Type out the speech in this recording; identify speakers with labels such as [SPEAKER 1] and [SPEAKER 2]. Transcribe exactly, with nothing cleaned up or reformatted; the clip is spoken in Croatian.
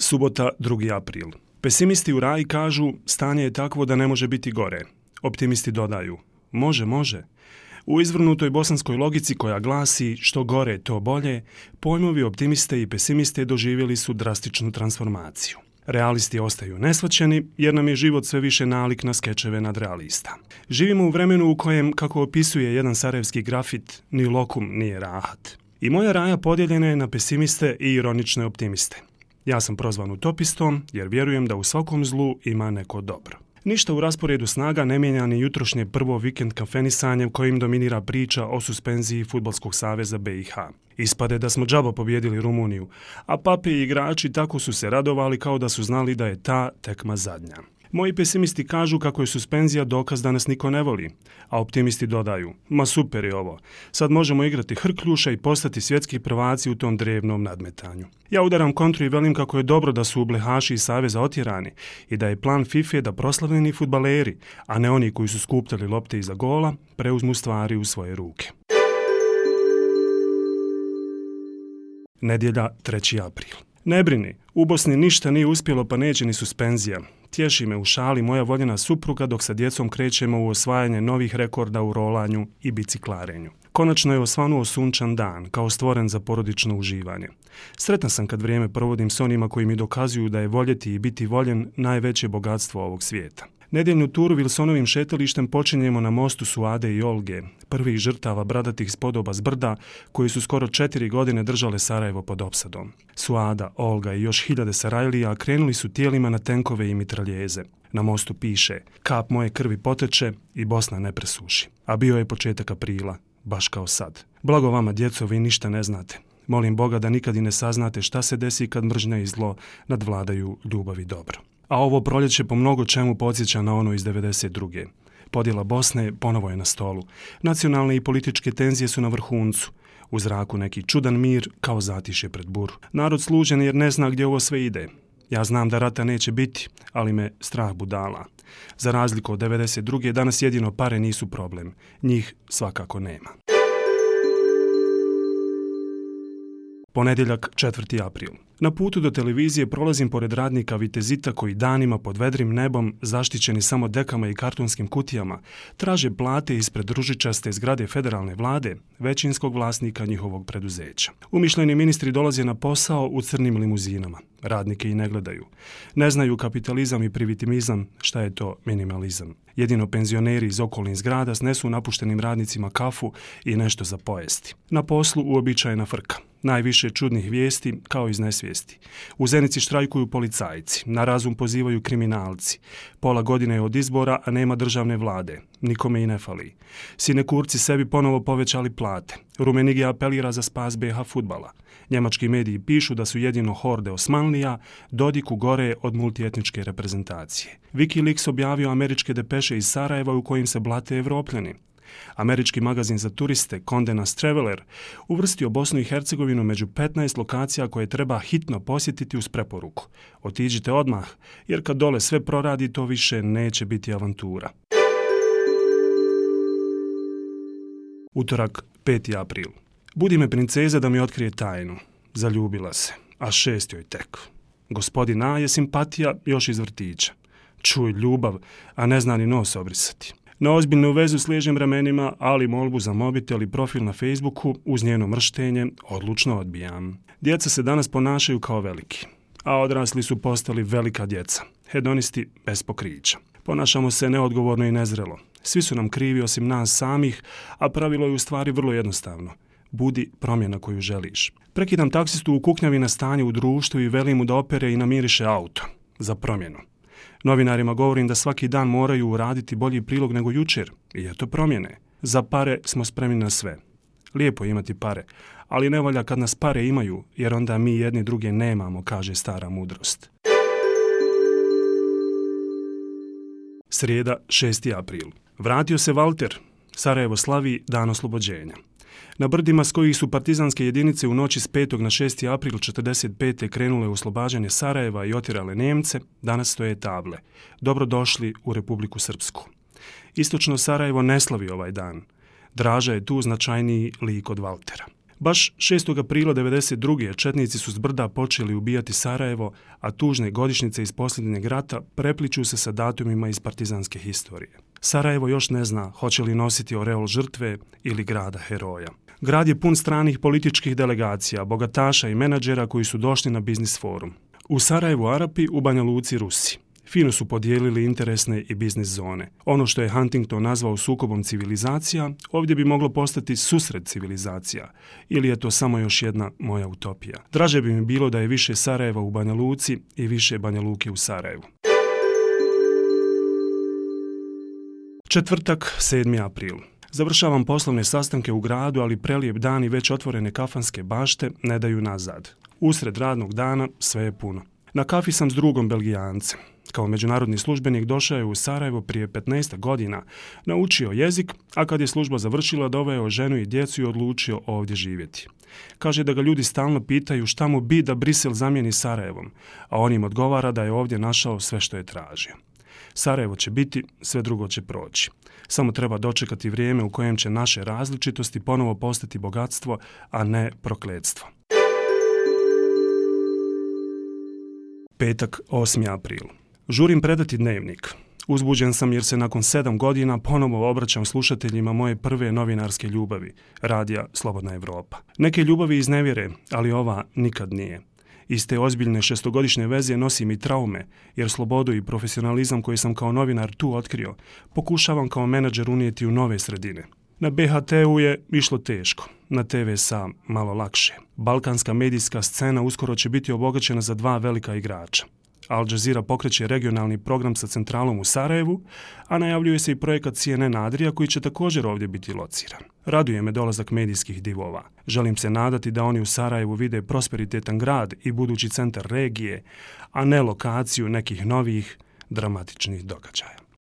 [SPEAKER 1] Subota, drugi april. Pesimisti u Raji kažu stanje je takvo da ne može biti gore. Optimisti dodaju može, može. U izvrnutoj bosanskoj logici koja glasi što gore to bolje, pojmovi optimiste i pesimiste doživjeli su drastičnu transformaciju. Realisti ostaju nesvaćeni jer nam je život sve više nalik na skečeve nadrealista. Živimo u vremenu u kojem, kako opisuje jedan sarajevski grafit, ni lokum nije rahat. I moja Raja podijeljena je na pesimiste i ironične optimiste. Ja sam prozvan utopistom jer vjerujem da u svakom zlu ima neko dobro. Ništa u rasporedu snaga ne mijenja ni jutrošnje prvo vikend kafenisanje kojim dominira priča o suspenziji Fudbalskog saveza B i H. Ispade da smo džaba pobijedili Rumuniju, a pape i igrači tako su se radovali kao da su znali da je ta tekma zadnja. Moji pesimisti kažu kako je suspenzija dokaz da nas niko ne voli, a optimisti dodaju, ma super je ovo, sad možemo igrati hrkljuša i postati svjetski prvaci u tom drevnom nadmetanju. Ja udaram kontru i velim kako je dobro da su blehaši iz saveza otjerani i da je plan FIFA da proslavljeni fudbaleri, a ne oni koji su skupljali lopte iza gola, preuzmu stvari u svoje ruke. Nedjelja, treći april. Ne brini, u Bosni ništa nije uspjelo pa neće ni suspenzija. Tješi me u šali moja voljena supruga dok sa djecom krećemo u osvajanje novih rekorda u rolanju i biciklarenju. Konačno je osvanuo sunčan dan, kao stvoren za porodično uživanje. Sretan sam kad vrijeme provodim s onima koji mi dokazuju da je voljeti i biti voljen najveće bogatstvo ovog svijeta. Nedjeljnu turu Wilsonovim šetalištem počinjemo na mostu Suade i Olge, prvih žrtava bradatih spodoba s brda koji su skoro četiri godine držale Sarajevo pod opsadom. Suada, Olga i još hiljade Sarajlija krenuli su tijelima na tenkove i mitraljeze. Na mostu piše, kap moje krvi poteče i Bosna ne presuši. A bio je početak aprila, baš kao sad. Blago vama, djeco, vi ništa ne znate. Molim Boga da nikad i ne saznate šta se desi kad mržnja i zlo nadvladaju ljubav i dobro. A ovo proljeće po mnogo čemu podsjeća na ono iz devedeset druge. Podjela Bosne ponovo je na stolu. Nacionalne i političke tenzije su na vrhuncu. U zraku neki čudan mir kao zatišje pred buru. Narod služen jer ne zna gdje ovo sve ide. Ja znam da rata neće biti, ali me strah budala. Za razliku od devedeset druge danas jedino pare nisu problem. Njih svakako nema. Ponedjeljak, četvrti april. Na putu do televizije prolazim pored radnika Vitezita koji danima pod vedrim nebom, zaštićeni samo dekama i kartonskim kutijama, traže plate ispred ružičaste zgrade federalne vlade, većinskog vlasnika njihovog preduzeća. Umišljeni ministri dolaze na posao u crnim limuzinama. Radnike i ne gledaju. Ne znaju kapitalizam i privitimizam, šta je to minimalizam. Jedino penzioneri iz okolnih zgrada snesu napuštenim radnicima kafu i nešto za pojesti. Na poslu uobičajena frka. Najviše čudnih vijesti kao iz nesvijesti. U Zenici štrajkuju policajci, na razum pozivaju kriminalci. Pola godine je od izbora, a nema državne vlade. Nikome i ne fali. Sinekurci sebi ponovo povećali plate. Rumenigi apelira za spas B H fudbala. Njemački mediji pišu da su jedino horde Osmanlija Dodiku gore od multietničke reprezentacije. Wikileaks objavio američke depeše iz Sarajeva u kojim se blate Evropljani. Američki magazin za turiste Condé Nast Traveler uvrstio Bosnu i Hercegovinu među petnaest lokacija koje treba hitno posjetiti uz preporuku. Otiđite odmah, jer kad dole sve proradi, to više neće biti avantura. Utorak, peti april. Budi me princeza da mi otkrije tajnu. Zaljubila se, a šest joj tek. Gospodin A je simpatija još iz vrtića. Čuj, ljubav, a ne zna ni nos obrisati. Na ozbiljnu vezu sliježem ramenima, ali molbu za mobitel i profil na Facebooku uz njeno mrštenje odlučno odbijam. Djeca se danas ponašaju kao veliki, a odrasli su postali velika djeca, hedonisti bez pokrića. Ponašamo se neodgovorno i nezrelo. Svi su nam krivi osim nas samih, a pravilo je u stvari vrlo jednostavno. Budi promjena koju želiš. Prekidam taksistu u kuknjavi na stanje u društvu i velim mu da opere i namiriše auto. Za promjenu. Novinarima govorim da svaki dan moraju uraditi bolji prilog nego jučer. I eto promjene. Za pare smo spremni na sve. Lijepo je imati pare, ali ne valja kad nas pare imaju, jer onda mi jedni druge nemamo, kaže stara mudrost. Srijeda, šesti april. Vratio se Valter. Sarajevo slavi dan oslobođenja. Na brdima s kojih su partizanske jedinice u noći s petog na šesti april četrdeset pete krenule u oslobađanje Sarajeva i otjerale Njemce, danas stoje table. Dobrodošli u Republiku Srpsku. Istočno Sarajevo ne slavi ovaj dan. Draža je tu značajniji lik od Valtera. Baš šestog aprila devedeset druge četnici su s brda počeli ubijati Sarajevo, a tužne godišnjice iz posljednjeg rata prepliču se sa datumima iz partizanske historije. Sarajevo još ne zna hoće li nositi oreol žrtve ili grada heroja. Grad je pun stranih političkih delegacija, bogataša i menadžera koji su došli na biznis forum. U Sarajevu Arapi, u Banja Luci Rusi. Fino su podijelili interesne i biznis zone. Ono što je Huntington nazvao sukobom civilizacija, ovdje bi moglo postati susret civilizacija. Ili je to samo još jedna moja utopija. Draže bi mi bilo da je više Sarajeva u Banja Luci i više Banja Luke u Sarajevu. Četvrtak, sedmi april. Završavam poslovne sastanke u gradu, ali prelijep dan i već otvorene kafanske bašte ne daju nazad. Usred radnog dana sve je puno. Na kafi sam s drugom Belgijancem. Kao međunarodni službenik došao je u Sarajevo prije petnaest godina, naučio jezik, a kad je služba završila doveo ženu i djecu i odlučio ovdje živjeti. Kaže da ga ljudi stalno pitaju šta mu bi da Brisel zamijeni Sarajevom, a on im odgovara da je ovdje našao sve što je tražio. Sarajevo će biti, sve drugo će proći. Samo treba dočekati vrijeme u kojem će naše različitosti ponovo postati bogatstvo, a ne prokletstvo. Petak, osmi april. Žurim predati dnevnik. Uzbuđen sam jer se nakon sedam godina ponovo obraćam slušateljima moje prve novinarske ljubavi, radija Slobodna Evropa. Neke ljubavi iznevjere, ali ova nikad nije. Iz te ozbiljne šestogodišnje veze nosim i traume, jer slobodu i profesionalizam koji sam kao novinar tu otkrio, pokušavam kao menadžer unijeti u nove sredine. Na B H T-u je išlo teško, na T V S A malo lakše. Balkanska medijska scena uskoro će biti obogaćena za dva velika igrača. Al Jazeera pokreće regionalni program sa centralom u Sarajevu, a najavljuje se i projekat C N N Adria koji će također ovdje biti lociran. Raduje me dolazak medijskih divova. Želim se nadati da oni u Sarajevu vide prosperitetan grad i budući centar regije, a ne lokaciju nekih novih dramatičnih događaja.